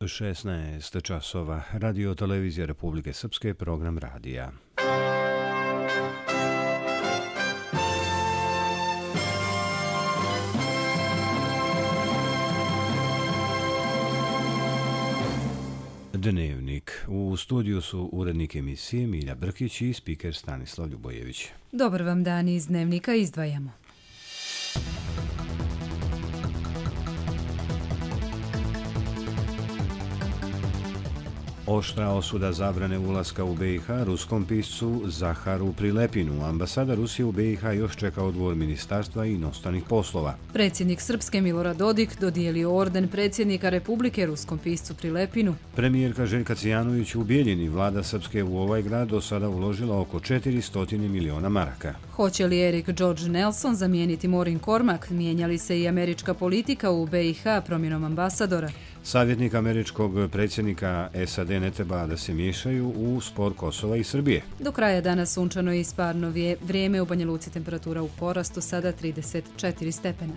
16 časova. Radio televizija Republike Srpske, program radija. Dnevnik. U studiju su urednik emisije Milja Brkić i spiker Stanislav Ljubojević. Dobar vam dan, iz Dnevnika izdvajamo. Oštra osuda zabrane ulaska u BiH ruskom piscu Zaharu Prilepinu. Ambasada Rusije u BiH još čeka odgovor Ministarstva inostranih poslova. Predsjednik Srpske Milorad Dodik dodijelio orden predsjednika Republike ruskom piscu Prilepinu. Premijerka Željka Cijanović u Bijeljini, vlada Srpske u ovaj grad do sada uložila oko 400 miliona maraka. Hoće li Erik George Nelson zamijeniti Maureen Cormack? Mijenja li se i američka politika u BiH promjenom ambasadora? Savjetnik američkog predsjednika SAD ne treba da se miješaju u spor Kosova i Srbije. Do kraja dana sunčano i isparno vrijeme, u Banja Luci temperatura u porastu, sada 34 stepena.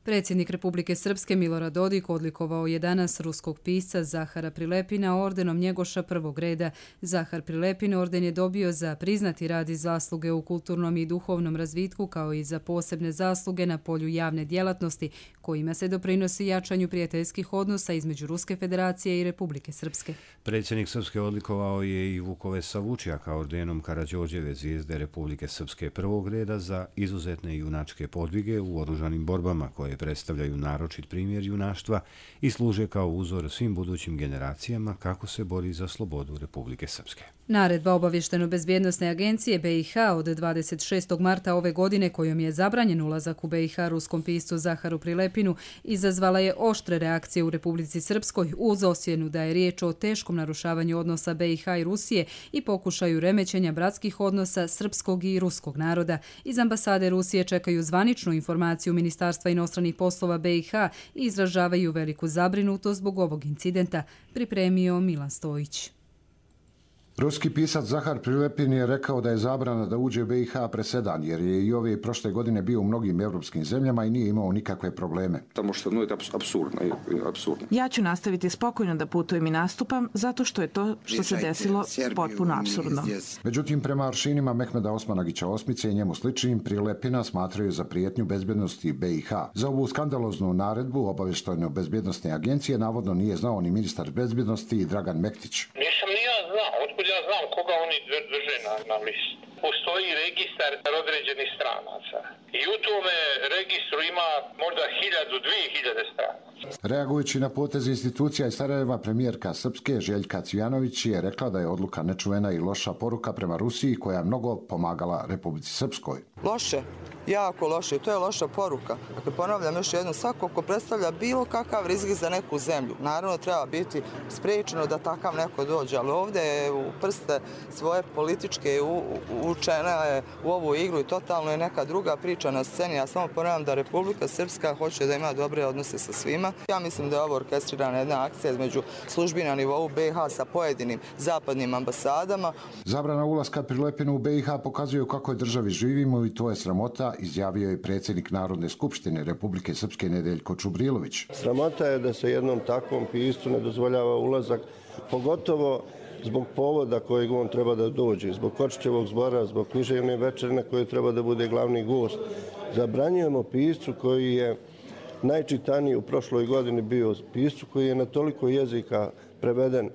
Predsjednik Republike Srpske Milorad Dodik odlikovao je danas ruskog pisca Zahara Prilepina ordenom Njegoša prvog reda. Zahar Prilepin orden je dobio za priznati rad i zasluge u kulturnom i duhovnom razvitku, kao i za posebne zasluge na polju javne djelatnosti, kojima se doprinosi jačanju prijateljskih odnosa između Ruske federacije i Republike Srpske. Predsjednik Srpske odlikovao je i Vukove Savučjaka ordenom Karađorđeve zvijezde Republike Srpske prvog reda za izuzetne junačke podvige u oružanim borbama, koje predstavljaju naročit primjer junaštva i služe kao uzor svim budućim generacijama kako se bori za slobodu Republike Srpske. Naredba Obavještajno-bezbjednosne agencije BiH od 26. marta ove godine, kojom je zabranjen ulazak u BiH ruskom piscu Zaharu Prilepinu, izazvala je oštre reakcije u Republici Srpskoj uz osjenu da je riječ o teškom narušavanju odnosa BiH i Rusije i pokušaju remećenja bratskih odnosa srpskog i ruskog naroda. Iz ambasade Rusije čekaju zvaničnu informaciju Ministarstva inostranih poslova BiH i izražavaju veliku zabrinutost zbog ovog incidenta, pripremio Milan Stojić. Ruski pisac Zahar Prilepin je rekao da je zabrana da uđe u BiH presedan, jer je i ove prošle godine bio u mnogim evropskim zemljama i nije imao nikakve probleme. Ja ću nastaviti spokojno da putujem i nastupam, zato što je to što se desilo potpuno apsurdno. Međutim, prema aršinima Mehmeda Osmanagića Osmice i njemu sličnim, Prilepina smatraju za prijetnju bezbjednosti BiH. Za ovu skandaloznu naredbu Obavještajno-bezbjednosne agencije navodno nije znao ni ministar bezbjednosti Dragan Mektić. Nisam ni ja znao. Otkud ja znam koga oni drže na listu? Postoji registar određenih stranaca i u tome registru ima možda 1000-2000 stranaca. Reagujući na potez institucija iz Sarajeva, premijerka Srpske Željka Cijanović je rekla da je odluka nečuvena i loša poruka prema Rusiji, koja je mnogo pomagala Republici Srpskoj. Loše, jako loše, to je loša poruka. Dakle, ponavljam još jednom, svako ko predstavlja bilo kakav rizik za neku zemlju, naravno treba biti spriječeno da takav neko dođe, ali ovdje je u prste svoje političke učena je u ovu igru i totalno je neka druga priča na sceni. Ja samo ponavljam da Republika Srpska hoće da ima dobre odnose sa svima. Ja mislim da je ovo orkestrirana jedna akcija između službi na nivou BiH sa pojedinim zapadnim ambasadama. Zabrana ulaska Prilepinu u BiH pokazuje kako je državi živimo i to je sramota, izjavio je predsjednik Narodne skupštine Republike Srpske Nedeljko Čubrilović. Sramota je da se jednom takvom piscu ne dozvoljava ulazak, pogotovo zbog povoda kojeg on treba da dođe, zbog Kočićevog zbora, zbog književne večeri na kojoj treba da bude glavni gost. Zabranjujemo piscu koji je najčitaniji u prošloj godini bio, piscu koji je na toliko jezika preveden,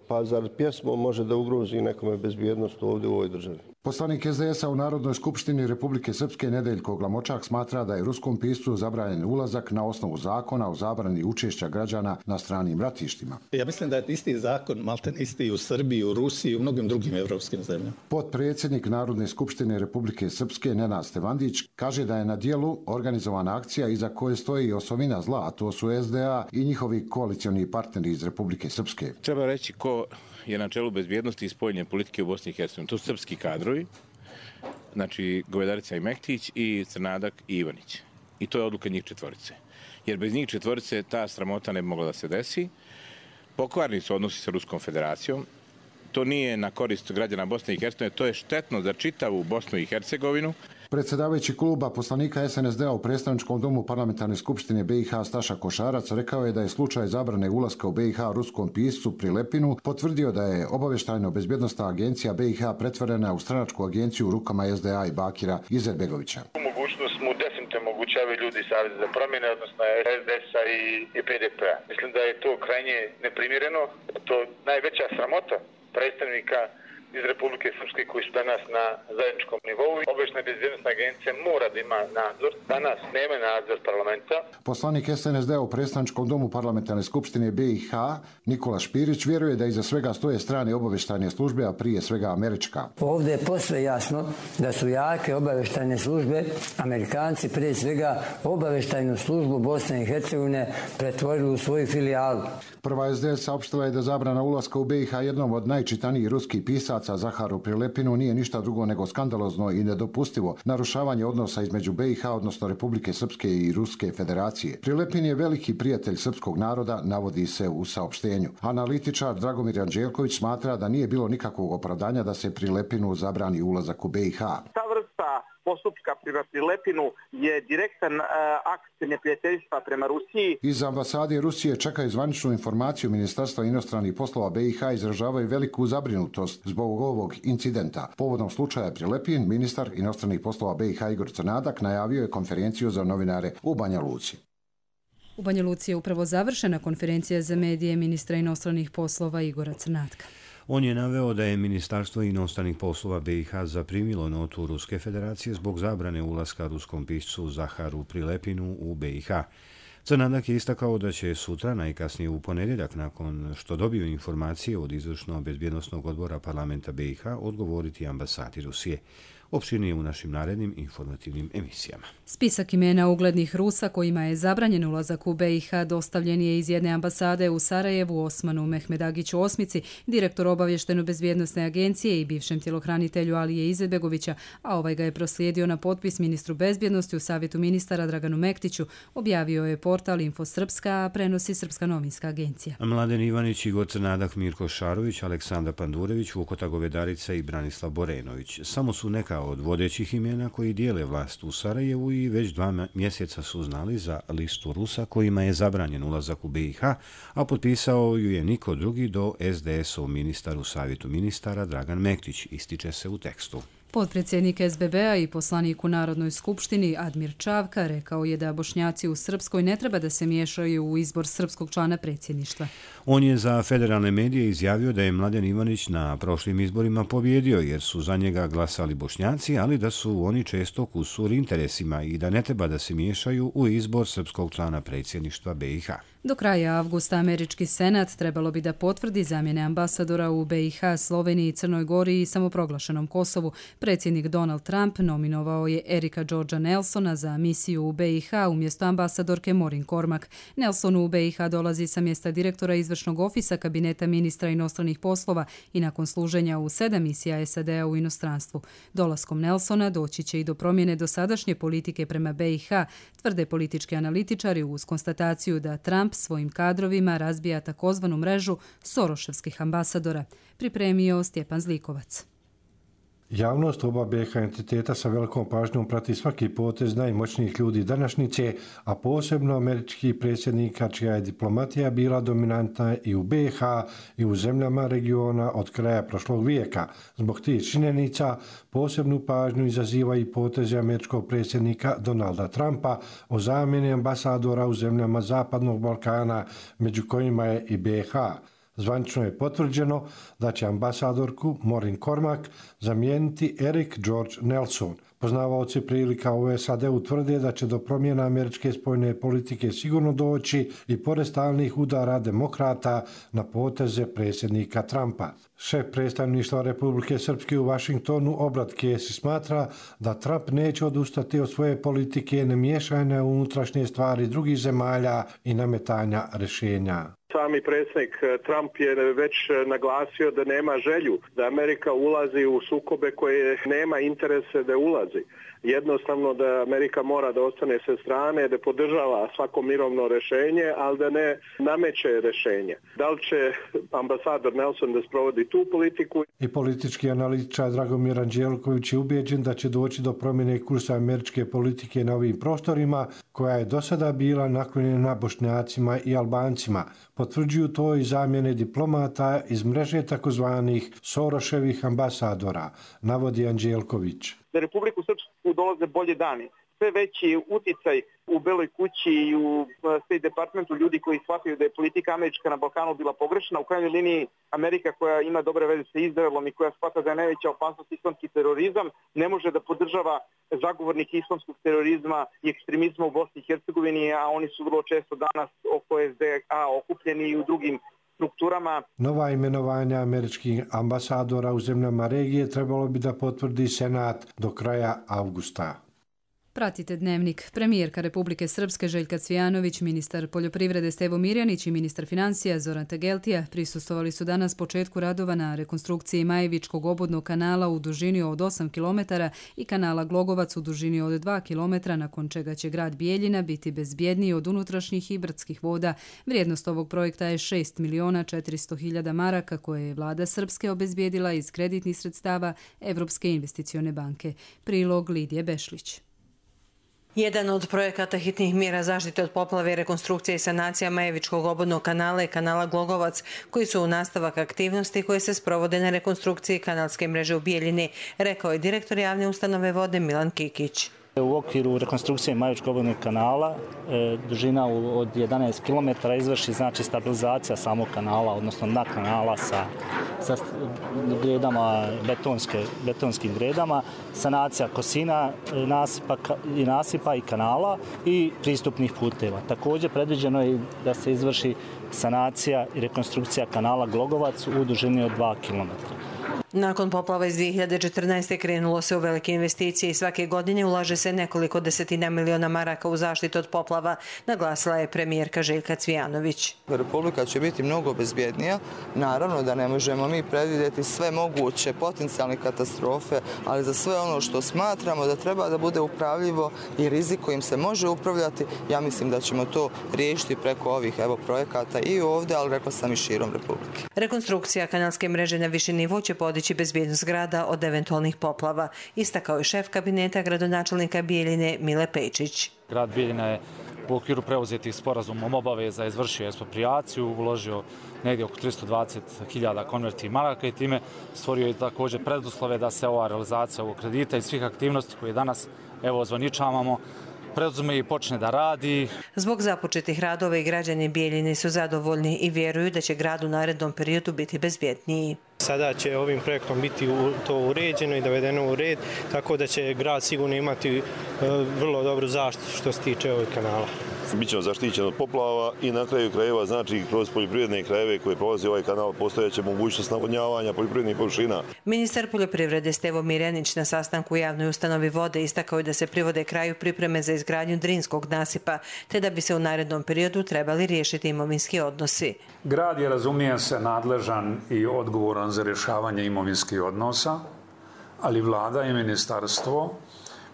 pa zar pjesmom može da ugrozi nekome bezbjednost ovdje u ovoj državi. Poslanik SDS-a u Narodnoj skupštini Republike Srpske Nedeljko Glamočak smatra da je ruskom piscu zabranjen ulazak na osnovu zakona o zabrani učešća građana na stranim ratištima. Ja mislim da je isti zakon, malten isti u Srbiji, u Rusiji i u mnogim drugim evropskim zemljama. Potpredsjednik Narodne skupštine Republike Srpske Nenad Stevandić kaže da je na dijelu organizovana akcija iza koje stoji osovina zla, a to su SDA i njihovi koalicioni partneri iz Republike Srpske. Treba reći ko je na čelu bezbjednosti i spoljne politike u Bosni i Hercegovini. To su srpski kadrovi, znači Govedarica i Mektić i Crnadak i Ivanić. I to je odluka njih četvorice. Jer bez njih četvorice ta sramota ne bi mogla da se desi. Pokvarni su odnosi sa Ruskom federacijom. To nije na korist građana Bosne i Hercegovine, to je štetno za čitavu Bosnu i Hercegovinu. Predsjedavajući kluba poslanika SNSD-a u predstavničkom domu parlamentarne skupštine BiH Staša Košarac rekao je da je slučaj zabrane ulaska u BiH ruskom piscu Prilepinu potvrdio da je obavještajno-bezbjednosna agencija BiH pretvorena u stranačku agenciju u rukama SDA i Bakira Izetbegovića. Mogućnost mu definitivno omogućavaju ljudi Saveza za promjene, odnosno SDS-a i PDP-a. Mislim da je to krajnje neprimjereno, to najveća sramota predstavnika iz Republike Srpske koji su danas na zajedničkom nivou. Obavještajna bezbjednosna agencija mora da ima nadzor. Danas nema nadzor parlamenta. Poslanik SNSD u predstavničkom domu parlamentarne skupštine BiH Nikola Špirić vjeruje da iza svega stoje strane obavještajne službe, a prije svega američka. Ovdje je posve jasno da su jake obavještajne službe, Amerikanci prije svega obavještajnu službu Bosne i Hercegovine pretvorili u svoju filijalu. Prva SDS saopštila je da zabrana ulaska u BiH jednom od najčitanijih ruskih pisaca Zaharu Prilepinu nije ništa drugo nego skandalozno i nedopustivo narušavanje odnosa između BiH, odnosno Republike Srpske i Ruske federacije. Prilepin je veliki prijatelj srpskog naroda, navodi se u saopštenju. Analitičar Dragomir Anđelković smatra da nije bilo nikakvog opravdanja da se Prilepinu zabrani ulazak u BiH. Ta vrsta postupka prema Prilepinu je direktan akt neprijateljstva prema Rusiji. Iz ambasade Rusije čekaju zvaničnu informaciju Ministarstva inostranih poslova BiH, izražavaju veliku zabrinutost zbog ovog incidenta. Povodom slučaja Prilepin, ministar inostranih poslova BiH Igor Crnadak najavio je konferenciju za novinare u Banja Luci. U Banja Luci je upravo završena konferencija za medije ministra inostranih poslova Igora Crnatka. On je naveo da je Ministarstvo inostranih poslova BiH zaprimilo notu Ruske federacije zbog zabrane ulaska ruskom piscu Zaharu Prilepinu u BiH. Crnadak je istakao da će sutra, najkasnije u ponedjeljak, nakon što dobiju informacije od izvršno-bezbjednosnog odbora parlamenta BiH, odgovoriti ambasadi Rusije. Opširnije u našim narednim informativnim emisijama. Spisak imena uglednih Rusa kojima je zabranjen ulazak u BiH dostavljen je iz jedne ambasade u Sarajevu Osmanu Mehmedagiću Osmici, direktor obavještajno-bezbjednosne agencije i bivšem tjelohranitelju Alije Izetbegovića, a ovaj ga je proslijedio na potpis ministru bezbjednosti u Savjetu ministara Draganu Mektiću, objavio je portal Info Srpska, a prenosi Srpska novinska agencija. Mladen Ivanić, Igor Crnadak, Mirko Šarović, Aleksandar Pandurević, Vukota Govedarica i Branislav Borenović samo su neka od vodećih imena koji dijele vlast u Sarajevu i već 2 mjeseca su znali za listu Rusa kojima je zabranjen ulazak u BiH, a potpisao ju je niko drugi do SDS-ov ministar u Savjetu ministara Dragan Mektić, ističe se u tekstu. Potpredsjednik SBB-a i poslanik u Narodnoj skupštini Admir Čavka rekao je da Bošnjaci u Srpskoj ne treba da se miješaju u izbor srpskog člana predsjedništva. On je za federalne medije izjavio da je Mladen Ivanić na prošlim izborima pobjedio jer su za njega glasali Bošnjaci, ali da su oni često kusur interesima i da ne treba da se miješaju u izbor srpskog člana predsjedništva BiH. Do kraja avgusta američki senat trebalo bi da potvrdi zamjene ambasadora u BiH, Sloveniji, Crnoj Gori i samoproglašenom Kosovu. Predsjednik Donald Trump nominovao je Erika Georgea Nelsona za misiju u BiH umjesto ambasadorke Maureen Cormack. Nelson u BiH dolazi sa mjesta direktora izvršnog ofisa kabineta ministra inostranih poslova i nakon služenja u 7 misija SAD-a u inostranstvu. Dolaskom Nelsona doći će i do promjene dosadašnje politike prema BiH, tvrde politički analitičari uz konstataciju da Trump svojim kadrovima razbija takozvanu mrežu soroševskih ambasadora. Pripremio Stjepan Zlikovac. Javnost oba BiH entiteta sa velikom pažnjom prati svaki potez najmoćnijih ljudi današnjice, a posebno američkih predsjednika čija je diplomatija bila dominantna i u BiH i u zemljama regiona od kraja prošlog vijeka. Zbog tih činjenica posebnu pažnju izaziva i potezi američkog predsjednika Donalda Trumpa o zamjeni ambasadora u zemljama Zapadnog Balkana, među kojima je i BiH. Zvanično je potvrđeno da će ambasadorku Maureen Cormack zamijeniti Erik George Nelson. Poznavaoci prilika u SAD-u tvrde da će do promjena američke spoljne politike sigurno doći i pored stalnih udara demokrata na poteze predsjednika Trumpa. Šef predstavništva Republike Srpske u Vašingtonu Obrat Kesi smatra da Trump neće odustati od svoje politike nemiješanja u unutrašnje stvari drugih zemalja i nametanja rješenja. Sami predsjednik Trump je već naglasio da nema želju da Amerika ulazi u sukobe koje nema interese da ulazi. jednostavno da Amerika mora da ostane sa strane, da podržava svako mirovno rešenje, ali da ne nameće rešenje. Da li će ambasador Nelson da sprovodi tu politiku? I politički analitičar Dragomir Anđelković je ubeđen da će doći do promjene kursa američke politike na ovim prostorima, koja je do sada bila naklonjena Bošnjacima i Albancima. Potvrđuju to i zamjene diplomata iz mreže takozvanih Soroševih ambasadora, navodi Anđelković. Za Republiku Srpsku dolaze bolje dani. Sve veći uticaj u Beloj kući i u State Departmentu ljudi koji shvataju da je politika američka na Balkanu bila pogrešna. U krajnjoj liniji Amerika koja ima dobre veze sa Izraelom i koja shvata da je najveća opasnost islamski terorizam, ne može da podržava zagovornike islamskog terorizma i ekstremizma u Bosni i Hercegovini, a oni su vrlo često danas oko SDA okupljeni i u drugim strukturama. Nova imenovanja američkih ambasadora u zemljama regije trebalo bi da potvrdi Senat do kraja avgusta. Pratite Dnevnik. Premijerka Republike Srpske Željka Cvijanović, ministar poljoprivrede Stevo Mirjanić i ministar financija Zoran Tegeltija prisustvovali su danas početku radova na rekonstrukciji Majevičkog obodnog kanala u dužini od 8 km i kanala Glogovac u dužini od 2 km, nakon čega će grad Bijeljina biti bezbjedniji od unutrašnjih i brdskih voda. Vrijednost ovog projekta je 6.400.000 maraka koje je vlada Srpske obezbijedila iz kreditnih sredstava Evropske investicione banke. Prilog Lidije Bešlić. Jedan od projekata hitnih mjera zaštite od poplave je rekonstrukcija i sanacija Majevičkog obodnog kanala i kanala Glogovac, koji su u nastavak aktivnosti koje se sprovode na rekonstrukciji kanalske mreže u Bijeljini, rekao je direktor javne ustanove vode Milan Kikić. U okviru rekonstrukcije Majevičkog obodnog kanala dužina od 11 km izvrši znači stabilizacija samog kanala, odnosno dna kanala sa gredama, betonskim gredama, sanacija kosina, nasipa i kanala i pristupnih puteva. Također predviđeno je da se izvrši sanacija i rekonstrukcija kanala Glogovac u dužini od 2 km. Nakon poplava iz 2014. krenulo se u velike investicije i svake godine ulaže se nekoliko desetina miliona maraka u zaštitu od poplava, naglasila je premijerka Željka Cvijanović. Republika će biti mnogo bezbjednija. Naravno da ne možemo mi predvidjeti sve moguće potencijalne katastrofe, ali za sve ono što smatramo da treba da bude upravljivo i rizik kojim se može upravljati, ja mislim da ćemo to riješiti preko ovih projekata i ovdje, ali rekla sam i širom Republike. Rekonstrukcija kanalske mreže na viši nivo će podići bezbjednost grada od eventualnih poplava, istakao je šef kabineta gradonačelnika Bijeljine Mile Pejčić. Grad Bijeljina je u okviru preuzetih sporazumom obaveza izvršio eksproprijaciju, uložio negdje oko 320.000 konvertnih maraka i time stvorio je također preduslove da se ova realizacija ovog kredita i svih aktivnosti koje danas ozvaničavamo preduzume i počne da radi. Zbog započetih radova i građani Bijeljine su zadovoljni i vjeruju da će grad u narednom periodu biti bezbjedniji. Sada će ovim projektom biti to uređeno i dovedeno u red, tako da će grad sigurno imati vrlo dobru zaštitu što se tiče ovog kanala. Bićemo zaštićeni od poplava i na kraju krajeva, znači kroz poljoprivredne krajeve koje prolazi ovaj kanal, postojeće mogućnost navodnjavanja poljoprivrednih površina. Ministar poljoprivrede Stevo Mirjanić na sastanku u javnoj ustanovi vode istakao je da se privode kraju pripreme za izgradnju Drinskog nasipa, te da bi se u narednom periodu trebali riješiti imovinski odnosi. Grad je, razumije se, nadležan i odgovoran za rješavanje imovinskih odnosa, ali vlada i ministarstvo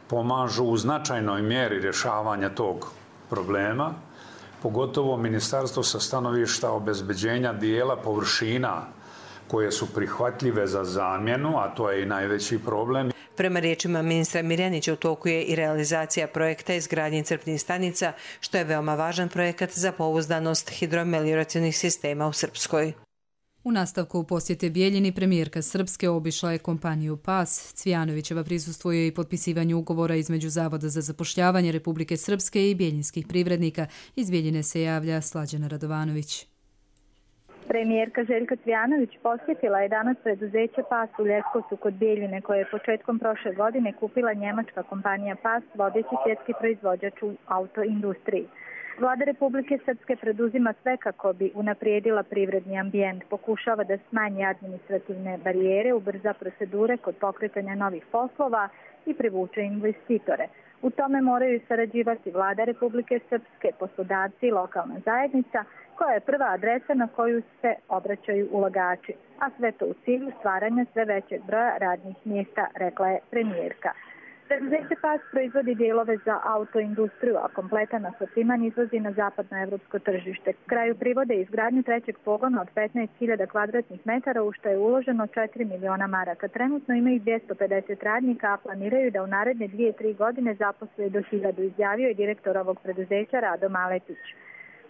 pomažu u značajnoj mjeri rješavanja tog problema, pogotovo ministarstvo sa stanovišta obezbeđenja dijela površina koje su prihvatljive za zamjenu, a to je i najveći problem. Prema riječima ministra Mirjanića u toku je i realizacija projekta izgradnje crpnih stanica, što je veoma važan projekat za pouzdanost hidromelioracionih sistema u Srpskoj. U nastavku posjete Bijeljini premijerka Srpske obišla je kompaniju PAS. Cvijanovićeva prisustvuje i potpisivanju ugovora između Zavoda za zapošljavanje Republike Srpske i bijeljinskih privrednika. Iz Bijeljine se javlja Slađana Radovanović. Premijerka Željka Cvijanović posjetila je danas preduzeće PAS u Leskovcu kod Bijeljine, koje je početkom prošle godine kupila njemačka kompanija PAS, vodeći svjetski proizvođač u autoindustriji. Vlada Republike Srpske preduzima sve kako bi unaprijedila privredni ambijent, pokušava da smanji administrativne barijere, ubrza procedure kod pokretanja novih poslova i privuče investitore. U tome moraju sarađivati Vlada Republike Srpske, poslodavci i lokalna zajednica, koja je prva adresa na koju se obraćaju ulagači, a sve to u cilju stvaranja sve većeg broja radnih mjesta, rekla je premijerka. Preduzeće PAS proizvodi dijelove za autoindustriju, a kompletan asortiman izvozi na zapadnoevropsko tržište. Kraju privode izgradnju trećeg pogona od 15.000 kvadratnih metara, u što je uloženo 4 miliona maraka. Trenutno imaju 250 radnika, a planiraju da u naredne 2-3 godine zaposle do 1000, izjavio je direktor ovog preduzeća Rado Maletić.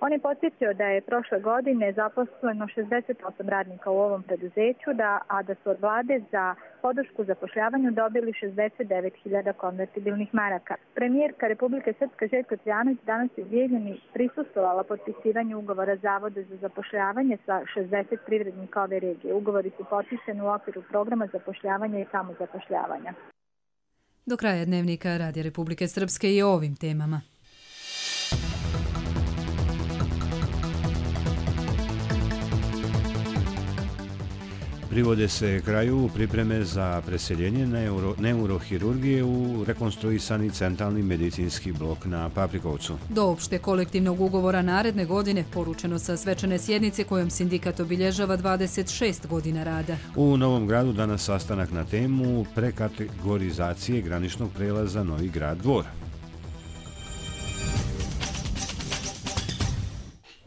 On je podsjetio da je prošle godine zaposleno 68 radnika u ovom preduzeću, a da su od vlade za podršku zapošljavanju dobili 69.000 konvertibilnih maraka. Premijerka Republike Srpske Željka Cvijanović danas je u Bijeljini prisustvovala potpisivanju ugovora Zavoda za zapošljavanje sa 60 privrednika ove regije. Ugovori su potpisani u okviru programa zapošljavanja i samozapošljavanja. Do kraja dnevnika Radija Republike Srpske i o ovim temama. Privode se kraju pripreme za preseljenje neurohirurgije u rekonstruisani centralni medicinski blok na Paprikovcu. Do opšte kolektivnog ugovora naredne godine poručeno sa svečane sjednice kojom sindikat obilježava 26 godina rada. U Novom Gradu danas sastanak na temu prekategorizacije graničnog prelaza Novi Grad Dvor.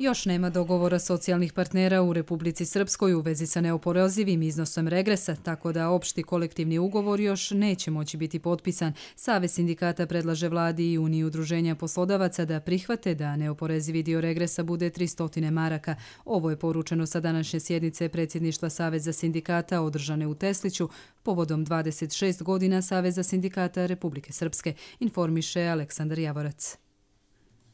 Još nema dogovora socijalnih partnera u Republici Srpskoj u vezi sa neoporezivim iznosom regresa, tako da opšti kolektivni ugovor još neće moći biti potpisan. Savez sindikata predlaže vladi i Uniji udruženja poslodavaca da prihvate da neoporezivi dio regresa bude 300 maraka. Ovo je poručeno sa današnje sjednice predsjedništva Saveza sindikata održane u Tesliću povodom 26 godina Saveza sindikata Republike Srpske, informiše Aleksandar Javorac.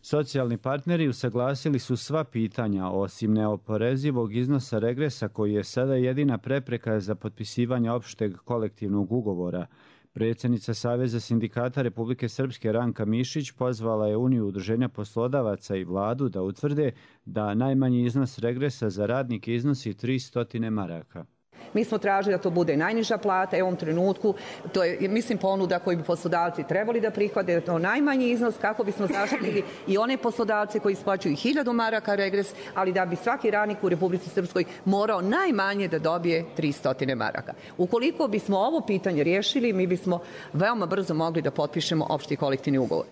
Socijalni partneri usaglasili su sva pitanja osim neoporezivog iznosa regresa koji je sada jedina prepreka za potpisivanje opšteg kolektivnog ugovora. Predsjednica Saveza sindikata Republike Srpske Ranka Mišić pozvala je Uniju udruženja poslodavaca i vladu da utvrde da najmanji iznos regresa za radnike iznosi 300 maraka. Mi smo tražili da to bude najniža plata i u ovom trenutku to je, mislim, ponuda koju bi poslodavci trebali da prihvate, da to najmanji iznos kako bismo zaštitili i one poslodavce koji isplaćuju 1000 maraka regres, ali da bi svaki radnik u Republici Srpskoj morao najmanje da dobije 300 maraka. Ukoliko bismo ovo pitanje riješili, mi bismo veoma brzo mogli da potpišemo opšti kolektivni ugovor.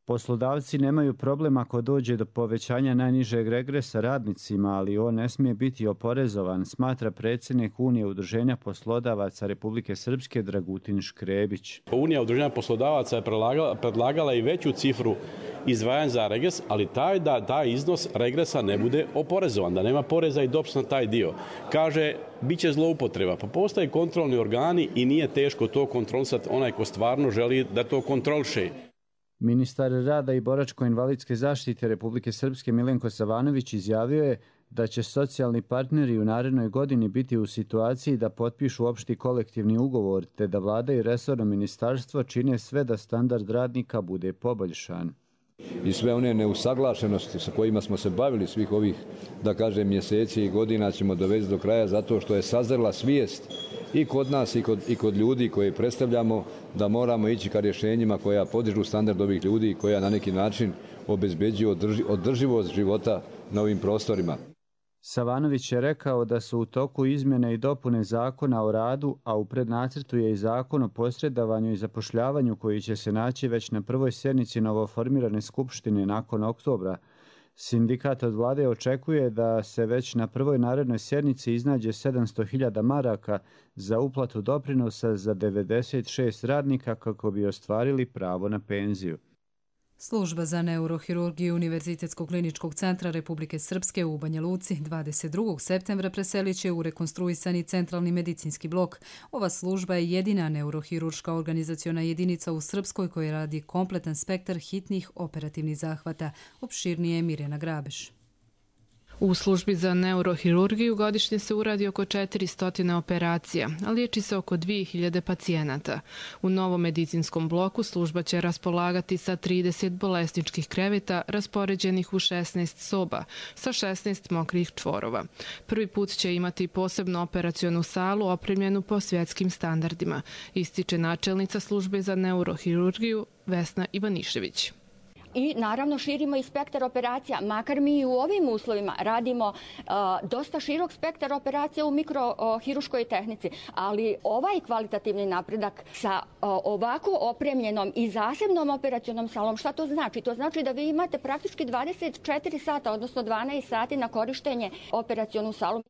Poslodavci nemaju problem ako dođe do povećanja najnižeg regresa radnicima, ali on ne smije biti oporezovan, smatra predsjednik Unije udruženja poslodavaca Republike Srpske Dragutin Škrebić. Unija udruženja poslodavaca je predlagala i veću cifru izdvajanja za regres, ali taj iznos regresa ne bude oporezovan, da nema poreza i doprinosa na taj dio. Kaže, bit će zloupotreba, pa postoje kontrolni organi i nije teško to kontrolisati onaj ko stvarno želi da to kontroliše. Ministar rada i boračko-invalidske zaštite Republike Srpske Milenko Savanović izjavio je da će socijalni partneri u narednoj godini biti u situaciji da potpišu opšti kolektivni ugovor, te da vlada i resorno ministarstvo čine sve da standard radnika bude poboljšan. I sve one neusaglašenosti sa kojima smo se bavili svih ovih, da kažem, mjeseci i godina ćemo dovesti do kraja zato što je sazrela svijest i kod nas i kod ljudi koje predstavljamo da moramo ići ka rješenjima koja podižu standard ovih ljudi i koja na neki način obezbeđuju održivost života na ovim prostorima. Savanović je rekao da su u toku izmjene i dopune zakona o radu, a u prednacrtu je i zakon o posredovanju i zapošljavanju koji će se naći već na prvoj sjednici novoformirane skupštine nakon oktobra. Sindikat od vlade očekuje da se već na prvoj narednoj sjednici iznađe 700.000 maraka za uplatu doprinosa za 96 radnika kako bi ostvarili pravo na penziju. Služba za neurohirurgiju Univerzitetskog kliničkog centra Republike Srpske u Banja Luci 22. septembra preselit će u rekonstruisani centralni medicinski blok. Ova služba je jedina neurohirurška organizaciona jedinica u Srpskoj koja radi kompletan spektar hitnih operativnih zahvata. Opširnije je Mirjana Grabeš. U službi za neurohirurgiju godišnje se uradi oko 400 operacija, a liječi se oko 2000 pacijenata. U novom medicinskom bloku služba će raspolagati sa 30 bolesničkih kreveta raspoređenih u 16 soba sa 16 mokrih čvorova. Prvi put će imati posebnu operacionu salu opremljenu po svjetskim standardima, ističe načelnica službe za neurohirurgiju Vesna Ivanišević. i naravno širimo i spektar operacija, makar mi i u ovim uslovima radimo dosta širok spektar operacija u mikrohiruškoj tehnici, ali ovaj kvalitativni napredak sa ovako opremljenom i zasebnom operacionom salom, šta to znači? To znači da vi imate praktički 24 sata, odnosno 12 sati na korištenje operacionu salu.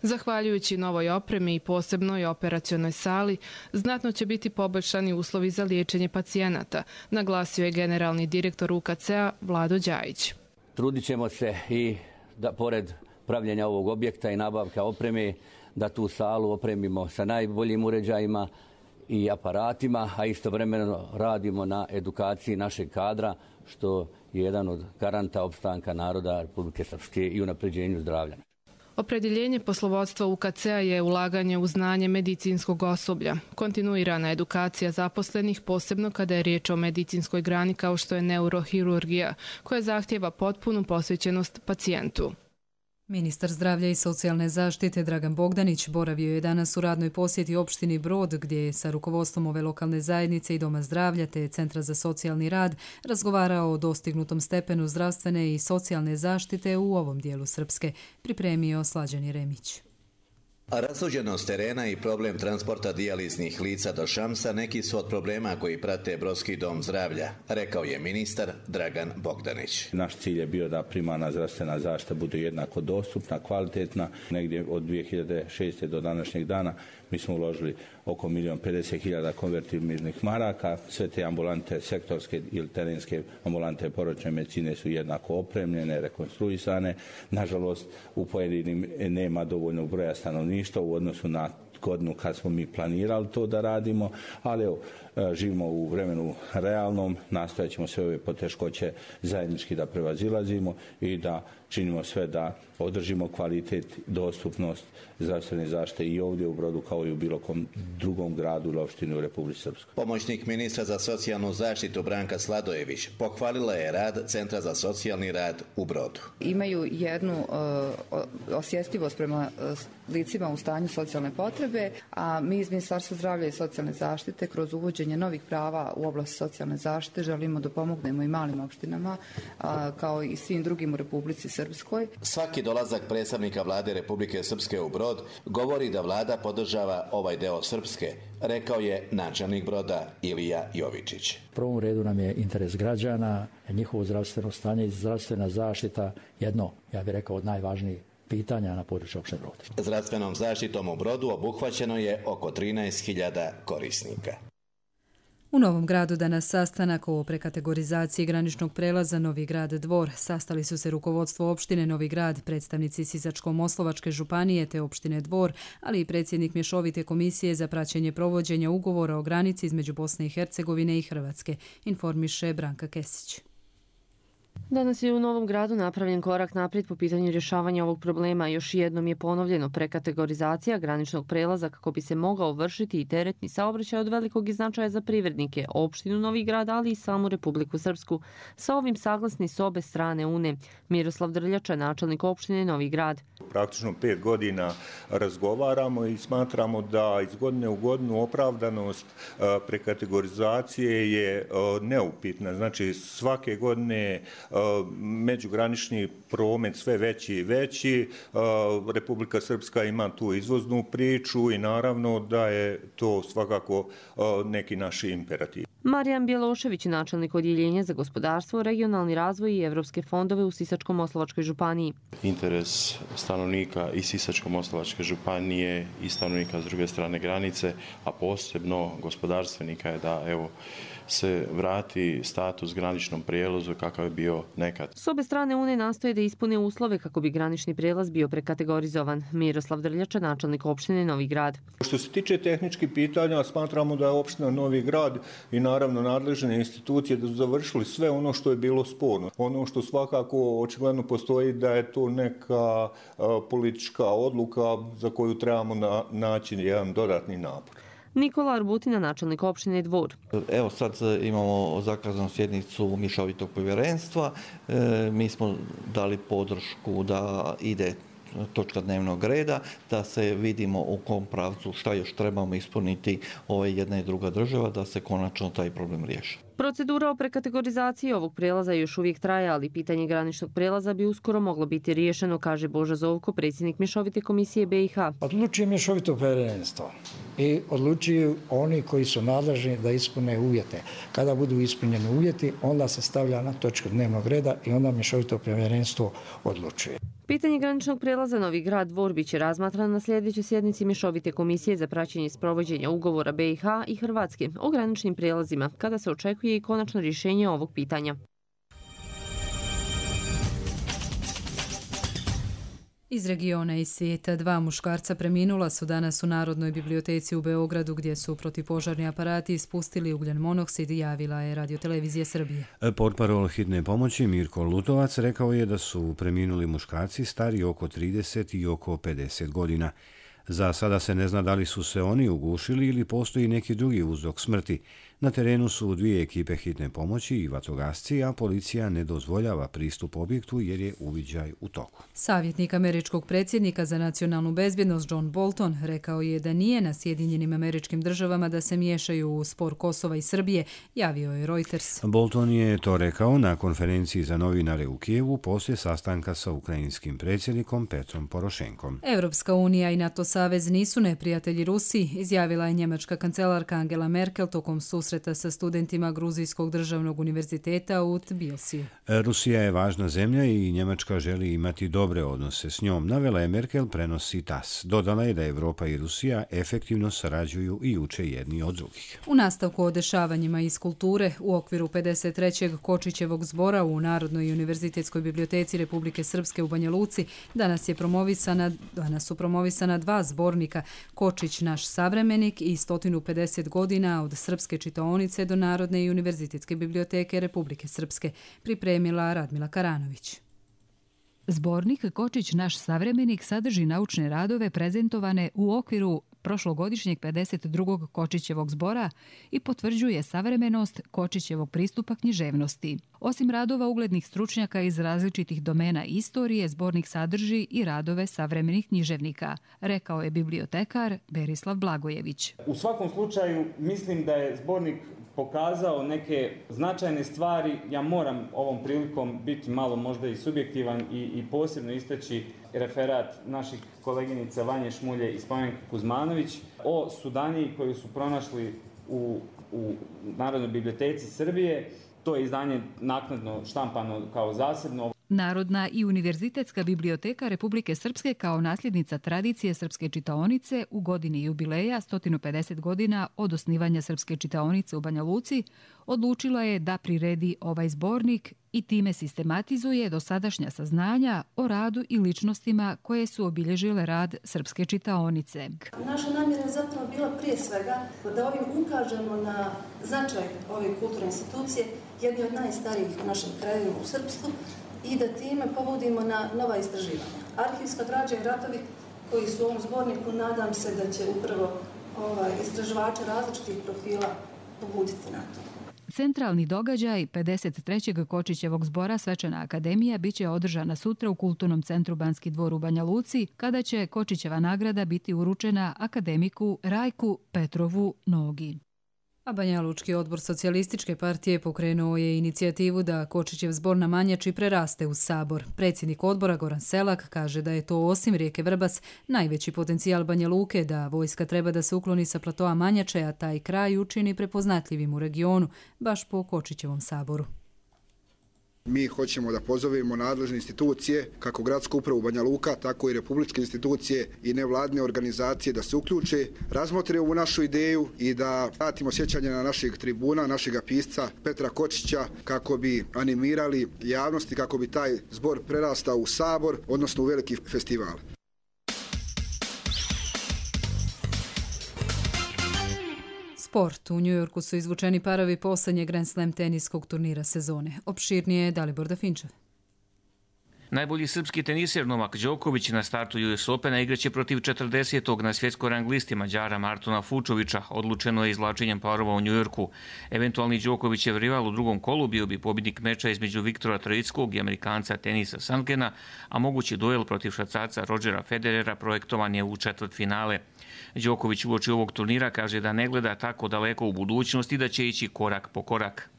Zahvaljujući novoj opremi i posebnoj operacionoj sali, znatno će biti poboljšani uslovi za liječenje pacijenata, naglasio je generalni direktor UKC-a Vlado Đajić. Trudit ćemo se i da pored pravljenja ovog objekta i nabavka opreme, da tu salu opremimo sa najboljim uređajima i aparatima, a istovremeno radimo na edukaciji našeg kadra, što je jedan od garanta opstanka naroda Republike Srpske i unapređenju zdravlja. Opredjeljenje poslovodstva UKC-a je ulaganje u znanje medicinskog osoblja, kontinuirana edukacija zaposlenih, posebno kada je riječ o medicinskoj grani kao što je neurohirurgija, koja zahtijeva potpunu posvećenost pacijentu. Ministar zdravlja i socijalne zaštite Dragan Bogdanić boravio je danas u radnoj posjeti opštini Brod, gdje je sa rukovodstvom ove lokalne zajednice i Doma zdravlja te Centra za socijalni rad razgovarao o dostignutom stepenu zdravstvene i socijalne zaštite u ovom dijelu Srpske, pripremio Slađan Jeremić. Razuđenost terena i problem transporta dijaliznih lica do Šamsa neki su od problema koji prate Brodski dom zdravlja, rekao je ministar Dragan Bogdanić. Naš cilj je bio da primarna zdravstvena zaštita bude jednako dostupna, kvalitetna. Negdje od 2006. do današnjeg dana mi smo uložili oko 1.050.000 konvertibilnih maraka. Sve te ambulante, sektorske ili terenske ambulante porodične medicine su jednako opremljene, rekonstruisane. Nažalost, u pojedinim nema dovoljno broja stanovništva u odnosu na godinu kad smo mi planirali to da radimo, ali evo, živimo u vremenu realnom, nastojat ćemo sve ove poteškoće zajednički da prevazilazimo i da činimo sve da održimo kvalitet, dostupnost zdravstvene zaštite i ovdje u Brodu kao i u bilo kom drugom gradu ili opštini u Republici Srpskoj. Pomoćnik ministra za socijalnu zaštitu Branka Sladojević pohvalila je rad Centra za socijalni rad u Brodu. Imaju jednu osjetljivost prema licima u stanju socijalne potrebe, a mi iz Ministarstva zdravlja i socijalne zaštite kroz uvođenje novih prava u oblasti socijalne zaštite želimo da pomognemo i malim opštinama kao i svim drugim u Republici Srpskoj. Svaki dolazak predstavnika vlade Republike Srpske u Brod govori da vlada podržava ovaj deo Srpske, rekao je načelnik Broda Ilija Jovičić. U prvom redu nam je interes građana, njihovo zdravstveno stanje i zdravstvena zaštita jedno, ja bih rekao, od najvažnijih pitanja na području opštine Brod. Zdravstvenom zaštitom u Brodu obuhvaćeno je oko 13.000 korisnika. U Novom Gradu danas sastanak o prekategorizaciji graničnog prelaza Novi Grad Dvor. Sastali su se rukovodstvo opštine Novi Grad, predstavnici Sisačko-Moslavačke županije te opštine Dvor, ali i predsjednik Mješovite komisije za praćenje provođenja ugovora o granici između Bosne i Hercegovine i Hrvatske, informiše Branka Kesić. Danas je u Novom Gradu napravljen korak naprijed po pitanju rješavanja ovog problema. Još jednom je ponovljeno prekategorizacija graničnog prelaza kako bi se mogao vršiti i teretni saobraćaj od velikog značaja za privrednike, opštinu Novi Grad, ali i samu Republiku Srpsku. Sa ovim saglasni s obe strane Une. Miroslav Drljača, načelnik opštine Novi Grad. Praktično 5 godina razgovaramo i smatramo da iz godine u godinu opravdanost prekategorizacije je neupitna. Znači svake godine međugranični promet sve veći i veći. Republika Srpska ima tu izvoznu priču i naravno da je to svakako neki naš imperativ. Marijan Bjelošević, načelnik odjeljenja za gospodarstvo, regionalni razvoj i evropske fondove u Sisačko-Moslavačkoj županiji. Interes stanovnika i Sisačko-Moslavačke županije i stanovnika s druge strane granice, a posebno gospodarstvenika je da se vrati status graničnom prijelazu kakav je bio nekad. S obe strane Une nastoje da ispune uslove kako bi granični prijelaz bio prekategorizovan. Miroslav Drljača, načelnik opštine Novi Grad. Što se tiče tehničkih pitanja, smatramo da je opština Novi Grad i naravno nadležne institucije da su završili sve ono što je bilo sporno. Ono što svakako očigledno postoji da je to neka politička odluka za koju trebamo naći jedan dodatni napor. Nikola Arbutina, načelnik opštine Dvor. Evo sad imamo zakazanu sjednicu Mješovitog povjerenstva. Mi smo dali podršku da ide točka dnevnog reda, da se vidimo u kom pravcu šta još trebamo ispuniti ove jedna i druga država, da se konačno taj problem riješi. Procedura o prekategorizaciji ovog prelaza još uvijek traje, ali pitanje graničnog prelaza bi uskoro moglo biti riješeno, kaže Boža Zovko, predsjednik Mješovite komisije BiH. Odlučuje Mješovito povjerenstvo i odlučuju oni koji su nadležni da ispune uvjete. Kada budu ispunjeni uvjeti, onda se stavlja na točku dnevnog reda i onda Mješovito povjerenstvo odlučuje. Pitanje graničnog prelaza Novi Grad Dvor biće razmatrano na sljedećoj sjednici Mješovite komisije za praćenje sprovođenja ugovora BiH i Hrvatske o graničnim prijelazima, kada se očekuje i konačno rješenje ovog pitanja. Iz regiona i svijeta 2 muškarca preminula su danas u Narodnoj biblioteci u Beogradu, gdje su protivpožarni aparati ispustili ugljen monoksid, javila je Radiotelevizija Srbije. Portparol hitne pomoći Mirko Lutovac rekao je da su preminuli muškarci stari oko 30 i oko 50 godina. Za sada se ne zna da li su se oni ugušili ili postoji neki drugi uzrok smrti. Na terenu su 2 ekipe hitne pomoći i vatrogasci, a policija ne dozvoljava pristup objektu jer je uviđaj u toku. Savjetnik američkog predsjednika za nacionalnu bezbjednost John Bolton rekao je da nije na Sjedinjenim Američkim Državama da se miješaju u spor Kosova i Srbije, javio je Reuters. Bolton je to rekao na konferenciji za novinare u Kijevu poslije sastanka sa ukrajinskim predsjednikom Petrom Porošenkom. Evropska unija i NATO savez nisu neprijatelji Rusiji, izjavila je njemačka kancelarka Angela Merkel tokom susreta sa studentima Gruzijskog državnog univerziteta u Tbilisiju. Rusija je važna zemlja i Njemačka želi imati dobre odnose s njom, navela je Merkel, prenosi TASS. Dodala je da Evropa i Rusija efektivno sarađuju i uče jedni od drugih. U nastavku o dešavanjima iz kulture, u okviru 53. Kočićevog zbora u Narodnoj univerzitetskoj biblioteci Republike Srpske u Banja Luci danas su promovisana 2 zbornika, Kočić naš savremenik i 150 godina od srpske čitaonice do Narodne i univerzitetske biblioteke Republike Srpske, pripremila Radmila Karanović. Zbornik Kočić naš savremenik sadrži naučne radove prezentovane u okviru prošlogodišnjeg 52. Kočićevog zbora i potvrđuje savremenost Kočićevog pristupa književnosti. Osim radova uglednih stručnjaka iz različitih domena istorije, zbornik sadrži i radove savremenih književnika, rekao je bibliotekar Berislav Blagojević. U svakom slučaju mislim da je zbornik pokazao neke značajne stvari. Ja moram ovom prilikom biti malo možda i subjektivan i posebno istaći referat naših koleginica Vanje Šmulje i Spomenke Kuzmanović o Sudaniji koju su pronašli u Narodnoj biblioteci Srbije. To je izdanje naknadno štampano kao zasebno. Narodna i univerzitetska biblioteka Republike Srpske kao nasljednica tradicije srpske čitaonice u godini jubileja 150 godina od osnivanja srpske čitaonice u Banja Luci odlučila je da priredi ovaj zbornik i time sistematizuje dosadašnja saznanja o radu i ličnostima koje su obilježile rad srpske čitaonice. Naša namjera je zapravo bila prije svega da ovim ukažemo na značaj ove kulturne institucije, jedni od najstarijih u našem kraju u srpstvu, i da time povodimo na nova istraživanja. Arhivska građa i ratovi koji su u ovom zborniku, nadam se da će upravo istraživače različitih profila pobuditi na to. Centralni događaj 53. Kočićevog zbora Svečana akademija biće održana sutra u Kulturnom centru Banski dvor u Banja Luci, kada će Kočićeva nagrada biti uručena akademiku Rajku Petrovu Nogi. A Banja Lučki odbor Socijalističke partije pokrenuo je inicijativu da Kočićev zbor na Manjači preraste u sabor. Predsjednik odbora Goran Selak kaže da je to osim rijeke Vrbas najveći potencijal Banja Luke, da vojska treba da se ukloni sa platoa Manjače, a taj kraj učini prepoznatljivim u regionu, baš po Kočićevom saboru. Mi hoćemo da pozovemo nadležne institucije, kako gradsku upravu Banja Luka, tako i republičke institucije i nevladine organizacije da se uključe, razmotre ovu našu ideju i da vratimo sjećanje na našeg tribuna, našeg pisca Petra Kočića, kako bi animirali javnosti, kako bi taj zbor prerastao u sabor, odnosno u veliki festival. Sport. U Njujorku su izvučeni parovi posljednjeg Grand Slam teniskog turnira sezone. Opširnije je Dalibor Dafinčev. Najbolji srpski teniser Novak Đoković na startu US Opena igraće protiv 40. na svjetskoj rang listi Mađara Martona Fučovića. Odlučeno je izvlačenjem parova u Njujorku. Eventualni Đokovićev rival u drugom kolu bio bi pobjednik meča između Viktora Troickog i Amerikanca Tenisa Sandgrena, a mogući duel protiv švajcarca Rodgera Federera projektovan je u četvrtfinale. Đoković uoči ovog turnira kaže da ne gleda tako daleko u budućnosti, da će ići korak po korak.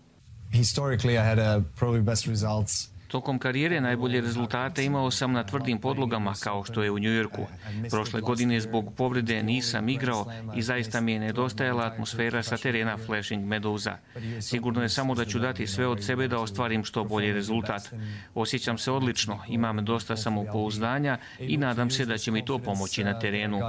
historically I had probably best results. Tokom karijere najbolje rezultate imao sam na tvrdim podlogama kao što je u Njujorku. Prošle godine zbog povrede nisam igrao i zaista mi je nedostajala atmosfera sa terena Flushing Meadowsa. Sigurno je samo da ću dati sve od sebe da ostvarim što bolji rezultat. Osjećam se odlično, imam dosta samopouzdanja i nadam se da će mi to pomoći na terenu.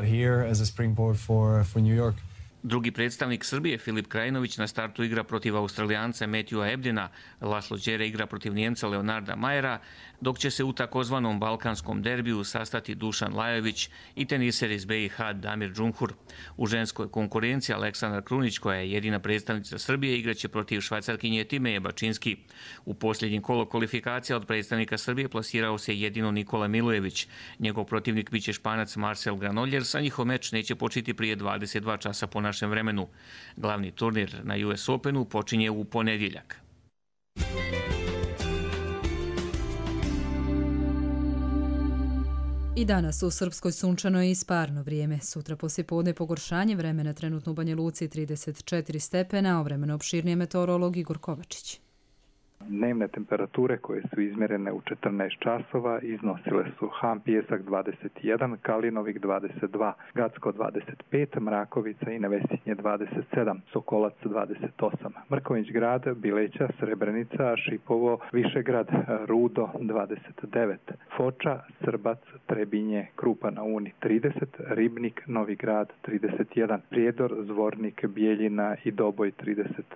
Drugi predstavnik Srbije, Filip Krajinović, na startu igra protiv Australijanca Matthewa Ebdena, Laslo Đere igra protiv Njemca Leonarda Majera, dok će se u takozvanom balkanskom derbiju sastati Dušan Lajović i teniser iz BiH Damir Džumhur. U ženskoj konkurenciji Aleksandar Krunić, koja je jedina predstavnica Srbije, igraće protiv Švajcarkinje Timeje Bačinski. U posljednjim kolo kvalifikacija od predstavnika Srbije plasirao se jedino Nikola Milojević. Njegov protivnik biće Španac Marcel Granollers, a njihov meč neće početi prije 22 časa po našem vremenu. Glavni turnir na US Openu počinje u ponedjeljak. I danas u Srpskoj sunčano i isparno vrijeme. Sutra poslijepodne pogoršanje vremena, trenutno u Banja Luci 34 stepena, a vremenom opširnije meteorolog Igor Kovačić. Dnevne temperature koje su izmjerene u 14 časova iznosile su Ham Pijesak 21, Kalinovik 22, Gacko 25, Mrakovica i Nevesinje 27, Sokolac 28, Mrković grad, Bileća, Srebrenica, Šipovo, Višegrad, Rudo 29, Foča, Srbac, Trebinje, Krupa na Uni 30, Ribnik, Novi grad 31, Prijedor, Zvornik, Bijeljina i Doboj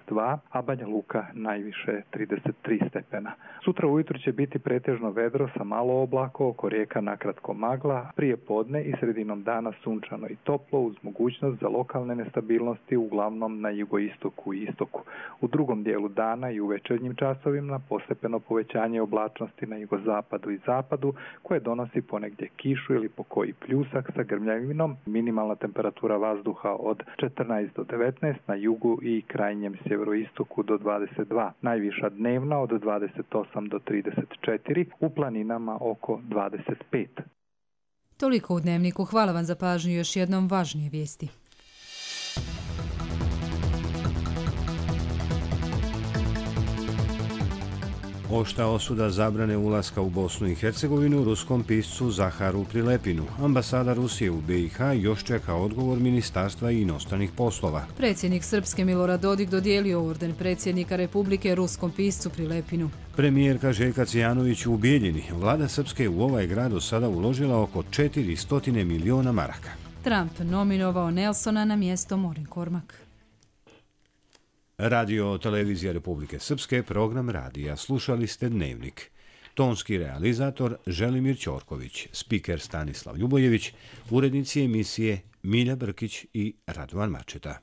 32, a Banja Luka najviše 33 stepena. Sutra ujutro će biti pretežno vedro sa malo oblaka, oko rijeka nakratko magla, prije podne i sredinom dana sunčano i toplo uz mogućnost za lokalne nestabilnosti uglavnom na jugoistoku i istoku. U drugom dijelu dana i u večernjim časovima postepeno povećanje oblačnosti na jugozapadu i zapadu koje donosi ponegdje kišu ili po koji pljusak sa grmljavinom. Minimalna temperatura vazduha od 14 do 19, na jugu i krajnjem sjeveroistoku do 22. Najviša dnevna od 28 do 34, u planinama oko 25. Toliko u Dnevniku. Hvala vam za pažnju. Još jednom važnije vijesti. Oštra osuda zabrane ulaska u Bosnu i Hercegovinu ruskom piscu Zaharu Prilepinu. Ambasada Rusije u BiH još čeka odgovor Ministarstva inostranih poslova. Predsjednik Srpske Milorad Dodik dodijelio orden predsjednika Republike ruskom piscu Prilepinu. Premijerka Željka Cijanović u Bijeljini. Vlada Srpske u ovaj grad do sada uložila oko 400 miliona maraka. Trump nominovao Nelsona na mjesto Morin Kormak. Radio Televizija Republike Srpske, program radija. Slušali ste Dnevnik. Tonski realizator Želimir Ćorković, spiker Stanislav Ljubojević, urednici emisije Milja Brkić i Radovan Mačeta.